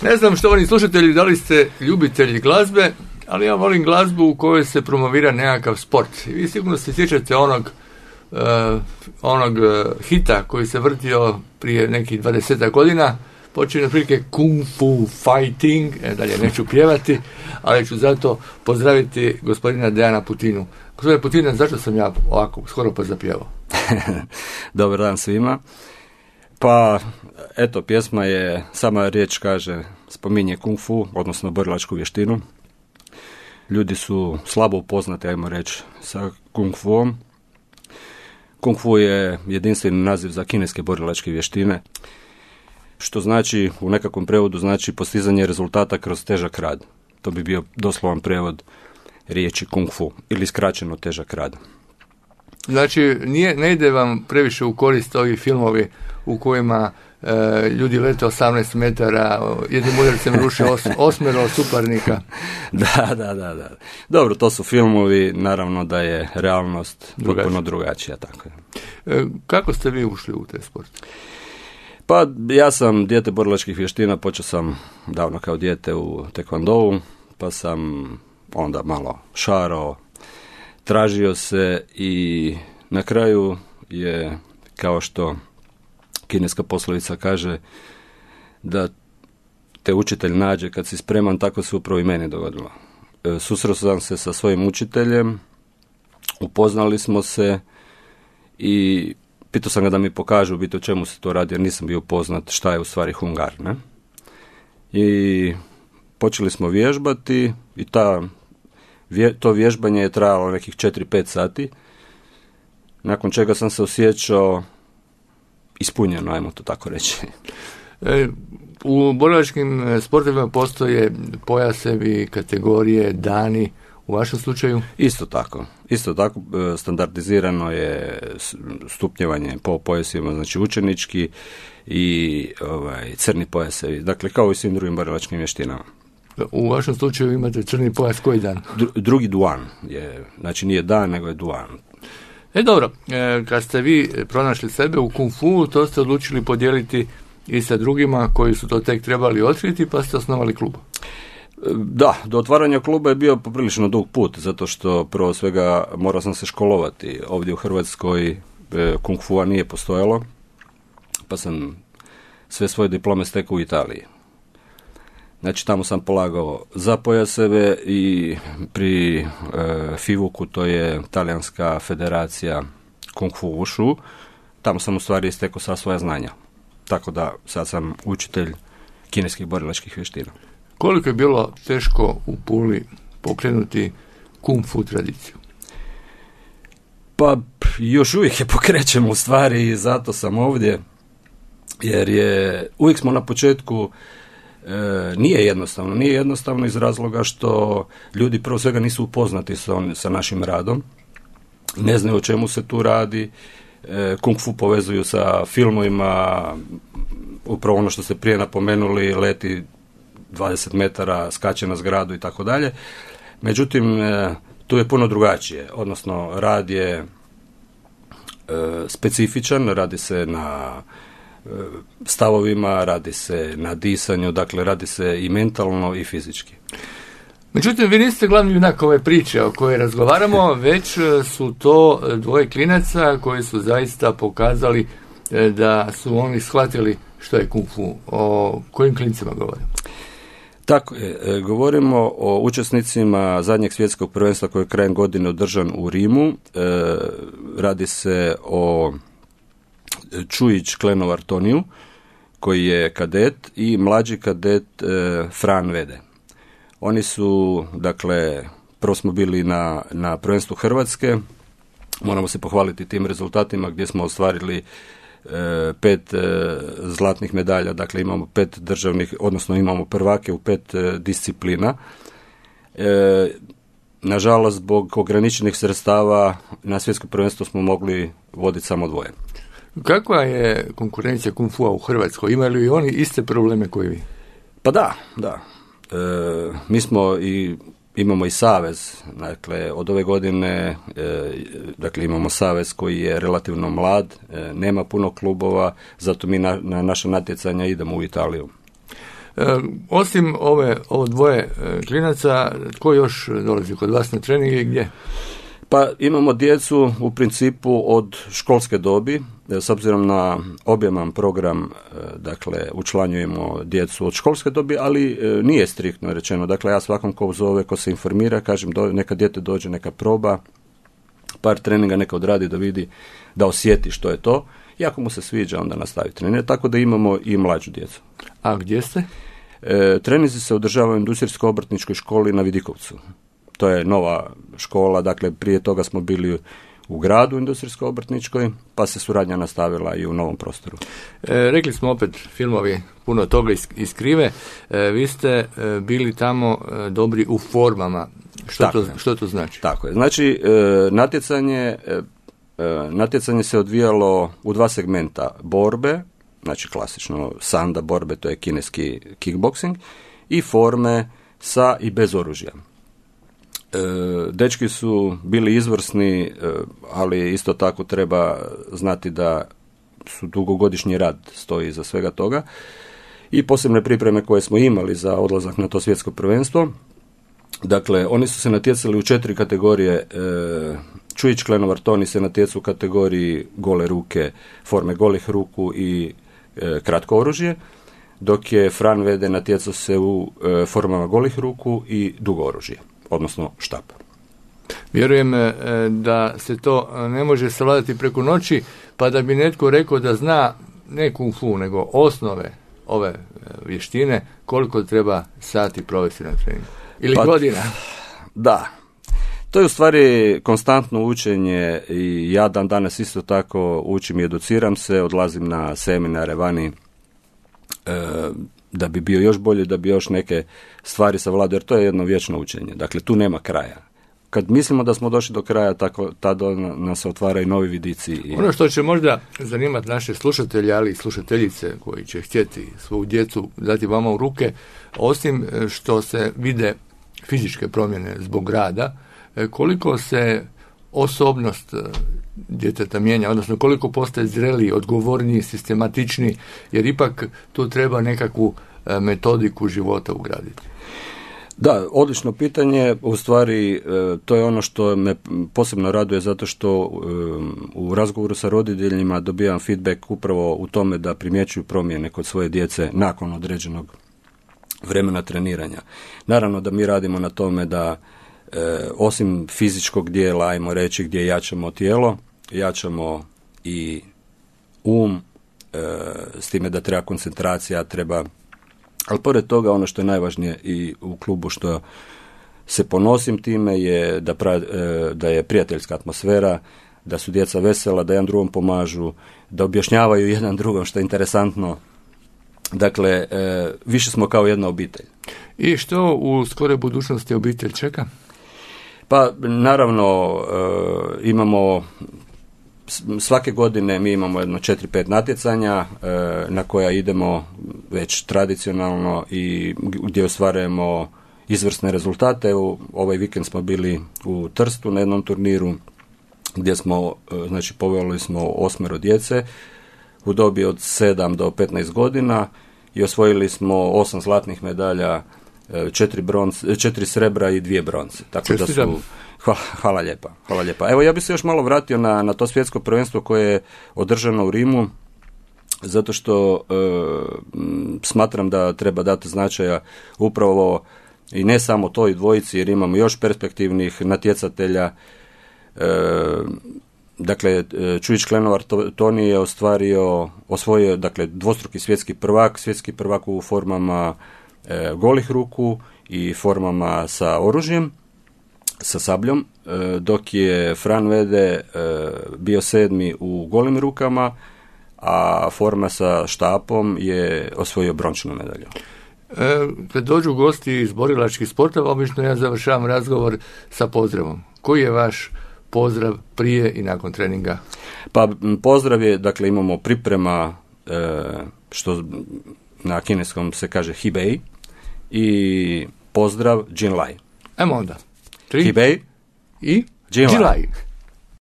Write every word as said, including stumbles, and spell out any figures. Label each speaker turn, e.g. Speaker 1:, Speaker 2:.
Speaker 1: Ne znam što oni slušatelji, da li ste ljubitelji glazbe, ali ja volim glazbu u kojoj se promovira nekakav sport. I vi sigurno se sjećate onog, uh, onog uh, hita koji se vrtio prije nekih dvadesetak godina, počinje prilike Kung Fu Fighting, e, dalje neću pjevati, ali ću zato pozdraviti gospodina Dejana Putinu. Gospodine Putina, zašto sam ja ovako skoro pa zapjevao?
Speaker 2: Dobar dan svima. Pa, eto, pjesma je, sama riječ kaže, spominje kung fu, odnosno borilačku vještinu. Ljudi su slabo upoznati, ajmo reći, sa kung fuom. Kung fu je jedinstveni naziv za kineske borilačke vještine, što znači, u nekakvom prevodu znači postizanje rezultata kroz težak rad. To bi bio doslovan prevod riječi kung fu, ili skraćeno težak rad.
Speaker 1: Znači, nije, ne ide vam previše u korist ovi filmovi u kojima e, ljudi lete osamnaest metara, jednim udarcem ruše os, osmero suparnika.
Speaker 2: Da, da, da, da. Dobro, to su filmovi, naravno da je realnost potpuno drugačija. Tako je.
Speaker 1: E, kako ste vi ušli u taj sport?
Speaker 2: Pa, ja sam dijete borilačkih vještina, počeo sam davno kao dijete u tekvandou, pa sam onda malo šarao, tražio se i na kraju je, kao što kineska poslovica kaže, da te učitelj nađe kad si spreman, tako se upravo i meni dogodilo. E, susreo sam se sa svojim učiteljem, upoznali smo se i pitao sam ga da mi pokaže u biti o čemu se to radi, jer nisam bio upoznat šta je u stvari hungar, ne? I počeli smo vježbati i ta Vje, to vježbanje je trajalo nekih četiri pet sati, nakon čega sam se osjećao ispunjeno, ajmo to tako reći.
Speaker 1: E, u borilačkim sportovima postoje pojasevi, kategorije, dani, u vašem slučaju?
Speaker 2: Isto tako. Isto tako standardizirano je stupnjevanje po pojasima, znači učenički i ovaj, crni pojasevi, dakle kao i svim drugim borilačkim vještinama.
Speaker 1: U vašem slučaju imate crni pojas koji dan?
Speaker 2: Drugi duan je, znači nije dan, nego je duan.
Speaker 1: E dobro, e, kad ste vi pronašli sebe u kung fu, to ste odlučili podijeliti i sa drugima koji su to tek trebali otkriti, pa ste osnovali klub.
Speaker 2: Da, do otvaranja kluba je bio poprilično dug put, zato što prvo svega morao sam se školovati. Ovdje u Hrvatskoj e, kung fua nije postojalo, pa sam sve svoje diplome stekao u Italiji. Znači, tamo sam polagao za pojaseve i pri e, Fivuku, to je talijanska federacija Kung Fu Wushu, tamo sam u stvari stekao sva svoja znanja. Tako da sad sam učitelj kineskih borilačkih vještina.
Speaker 1: Koliko je bilo teško u Puli pokrenuti Kung Fu tradiciju?
Speaker 2: Pa, još uvijek je pokrećemo u stvari i zato sam ovdje, jer je, uvijek smo na početku. E, nije jednostavno, nije jednostavno iz razloga što ljudi prvo svega nisu upoznati sa, on, sa našim radom, ne znaju o čemu se tu radi, e, kung fu povezuju sa filmovima, upravo ono što ste prije napomenuli, leti dvadeset metara, skače na zgradu i tako dalje. Međutim, e, tu je puno drugačije, odnosno rad je e, specifičan, radi se na stavovima, radi se na disanju, dakle radi se i mentalno i fizički.
Speaker 1: Međutim, vi niste glavni junak ove priče o kojoj razgovaramo, već su to dvoje klinaca koji su zaista pokazali da su oni shvatili što je kung fu. O kojim klincima govorimo?
Speaker 2: Tako je, govorimo o učesnicima zadnjeg svjetskog prvenstva koji je krajem godine održan u Rimu. E, radi se o Čujić Klenovar Toniju, koji je kadet, i mlađi kadet e, Fran Vede. Oni su, dakle, prvo smo bili na, na prvenstvu Hrvatske, moramo se pohvaliti tim rezultatima gdje smo ostvarili e, pet e, zlatnih medalja, dakle imamo pet državnih, odnosno imamo prvake u pet e, disciplina. E, nažalost, zbog ograničenih sredstava na svjetsko prvenstvo smo mogli voditi samo dvoje.
Speaker 1: Kakva je konkurencija kung fua u Hrvatskoj? Imaju li oni iste probleme koji vi?
Speaker 2: Pa da, da. E, mi smo i imamo i savez, dakle od ove godine e, dakle imamo savez koji je relativno mlad, e, nema puno klubova, zato mi na, na naša natjecanja idemo u Italiju.
Speaker 1: E, osim ove, ovo dvoje e, klinaca, tko još dolazi kod vas na trening i gdje?
Speaker 2: Pa imamo djecu u principu od školske dobi, s obzirom na objeman program, dakle, učlanjujemo djecu od školske dobi, ali nije striktno rečeno. Dakle, ja svakom ko zove, ko se informira, kažem, do, neka dijete dođe, neka proba, par treninga neka odradi da vidi, da osjeti što je to, i ako mu se sviđa, onda nastavi trening. Tako da imamo i mlađu djecu.
Speaker 1: A gdje ste?
Speaker 2: E, treninzi se održavaju u Industrijsko-obrtničkoj školi na Vidikovcu. To je nova škola, dakle prije toga smo bili u gradu Industrijsko-obrtničkoj, pa se suradnja nastavila i u novom prostoru.
Speaker 1: E, rekli smo opet filmovi, puno toga iskrive. E, vi ste e, bili tamo e, dobri u formama. Što to, što to znači?
Speaker 2: Tako je. Znači, e, natjecanje, e, natjecanje se odvijalo u dva segmenta. Borbe, znači klasično sanda borbe, to je kineski kickboxing, i forme sa i bez oružja. Dečki su bili izvrsni, ali isto tako treba znati da su dugogodišnji rad stoji iza svega toga i posebne pripreme koje smo imali za odlazak na to svjetsko prvenstvo. Dakle, oni su se natjecali u četiri kategorije. Čujić Klenovar Toni se natjecao u kategoriji gole ruke, forme golih ruku i kratko oružje, dok je Fran Vede natjecao se u formama golih ruku i dugo oružje, odnosno štap.
Speaker 1: Vjerujem da se to ne može savladati preko noći, pa da bi netko rekao da zna ne kung fu, nego osnove ove vještine, koliko treba sati provesti na treningu. Ili pa, godina.
Speaker 2: Da. To je u stvari konstantno učenje i ja dan danas isto tako učim i educiram se, odlazim na seminare vani e, da bi bio još bolje, da bi još neke stvari savladao, jer to je jedno vječno učenje. Dakle, tu nema kraja. Kad mislimo da smo došli do kraja, tako tada nas se otvaraju novi vidici. I...
Speaker 1: Ono što će možda zanimati naše slušatelje, ali i slušateljice koji će htjeti svoju djecu dati vama u ruke, osim što se vide fizičke promjene zbog rada, koliko se osobnost djeteta mijenja, odnosno koliko postaje zreliji, odgovorniji, sistematičniji, jer ipak tu treba nekakvu metodiku života ugraditi.
Speaker 2: Da, odlično pitanje. U stvari, to je ono što me posebno raduje, zato što u razgovoru sa roditeljima dobivam feedback upravo u tome da primjećuju promjene kod svoje djece nakon određenog vremena treniranja. Naravno da mi radimo na tome da e, osim fizičkog dijela, ajmo reći, gdje jačamo tijelo, jačamo i um, e, s time da treba koncentracija, treba, ali pored toga ono što je najvažnije i u klubu što se ponosim time je da, pra, e, da je prijateljska atmosfera, da su djeca vesela, da jedan drugom pomažu, da objašnjavaju jedan drugom, što je interesantno. Dakle, e, više smo kao jedna obitelj.
Speaker 1: I što u skore budućnosti obitelj čeka?
Speaker 2: Pa, naravno, e, imamo svake godine mi imamo jedno četiri pet natjecanja e, na koja idemo već tradicionalno i gdje ostvarujemo izvrsne rezultate. U, ovaj vikend smo bili u Trstu na jednom turniru gdje smo, e, znači, poveli smo osmero djece u dobi od sedam do petnaest godina i osvojili smo osam zlatnih medalja, četiri, bronz, četiri srebra i dvije bronze. Tako da su, hvala, hvala lijepa, hvala lijepa. Evo, ja bih se još malo vratio na, na to svjetsko prvenstvo koje je održano u Rimu, zato što e, smatram da treba dati značaja upravo i ne samo toj dvojici, jer imamo još perspektivnih natjecatelja. E, Dakle, Čujić Klenovar Toni je ostvario, osvojio, dakle, dvostruki svjetski prvak, svjetski prvak u formama e, golih ruku i formama sa oružjem, sa sabljom, e, dok je Fran Vede e, bio sedmi u golim rukama, a forma sa štapom je osvojio brončanu medalju.
Speaker 1: E, kad dođu gosti iz borilačkih sportova, obično ja završavam razgovor sa pozdravom. Koji je vaš pozdrav prije i nakon treninga?
Speaker 2: Pa pozdrav je, dakle, imamo priprema, e, što na kineskom se kaže hibei, i pozdrav Jinlai.
Speaker 1: Ajmo onda. Tri.
Speaker 2: Hibei
Speaker 1: i
Speaker 2: Jinlai.